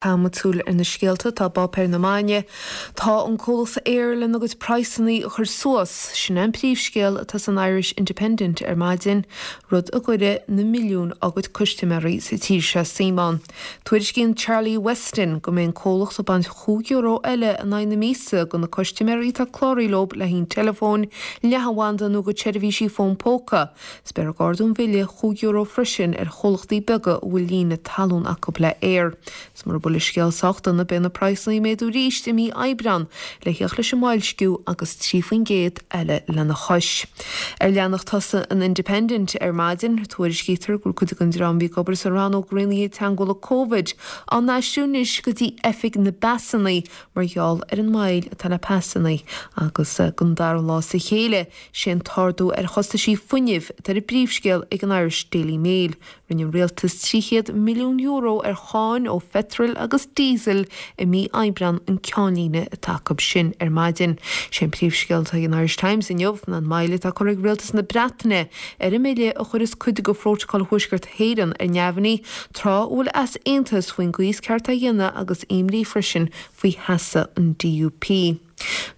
Caithfidh muid súil ar na scéalta atá i bpáipéir na maidine. Tá an comhlacht Eir lena gcuid praghsanna a chur suas. Sin é an príomhscéal atá san Irish Independent ar maidin, rud a gcuirfidh na milliúin dá gcuid custaiméirí sa tír seo suim ann. Tuairiscíonn Charlie Weston go mbeidh an comhlacht ag baint chúig euro eile in aghaidh na míosa de na custaiméirí atá cláraithe leo le haghaidh an teileafóin, leathanbhanda nó a gcuid seirbhísí fón póca. Is beifear ag ardú an bhille €5 freisin ar chomhlachtaí beaga a bhfuil líne talún acu le Eir. Is mura bhfuil an scéal sách dona beidh na praghsanna ag méadú arís i mí Aibreán le theacht leis an mboilsciú agus 3% eile lena chois. Ar leathanach tosaigh an Independent ar maidin, tuairiscítear go bhfuil cuid den dream a bhí ag obair sa rannóg rianaithe teagmhála Covid á n-aistriú anois go dtí oifig na bpasanna mar gheall ar an moill atá le pasanna agus don dara lá as a chéile Sé an t-ardú ar chostaisí fuinnimh atá ar an bpríomhscéal ag an Irish Daily Mail. Rinne an rialtas €300 milliún ar cháin ó pheitreal agus díosal i mí Aibreán an ceannlíne atá acu sin ar maidin. Sé an príomhscéal atá ag an Irish Times inniu ná an moill atá curtha ag rialtas na Breataine ar an mbille a chuireas cuid de Phrótacal Thuaisceart hÉireann ar neamhní tráth a bhfuil easaontas faoin gcaoi is ceart é a dhéanamh agus imní freisin faoi sheasamh an DUP.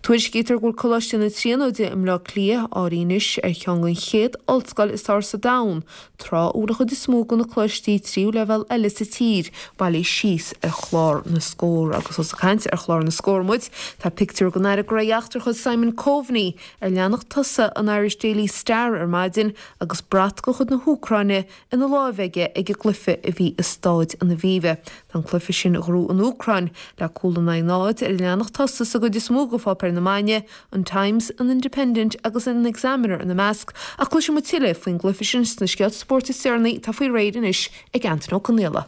Tuairiscítear go bhfuil Coláiste na Tríonóide i mBleá Cliath áirithe anois ar cheann den chéad ollscoil is fearr sa domhan, tráth a bhfuil an chuid is mó de na coláistí tríú leibhéal eile sa tír bailithe síos ar chlár na scór. Agus ós ag caint ar chlár na scór muid, tá pictiúr den Aire Gnóthaí Eachtracha Simon Coveney ar leathanach tosaigh an Irish Daily Star ar maidin agus brat de chuid na hÚcráine ina láimh aige ag an gcluiche a bhí i Stáid an Aviva. Tá an cluiche sin a ghnóthaigh an Úcráin le cúl in aghaidh 0 ar an leathanach tosaigh sa gcuid is mó de pháipéir na maidine, an Times, an Independent agus an Examiner ina measc, ach cloisfidh muid tuilleadh faoin gcluiche sin sna scéalta spóirt is deireanaí atá faoi réir anois ag Antain Ó Conaola.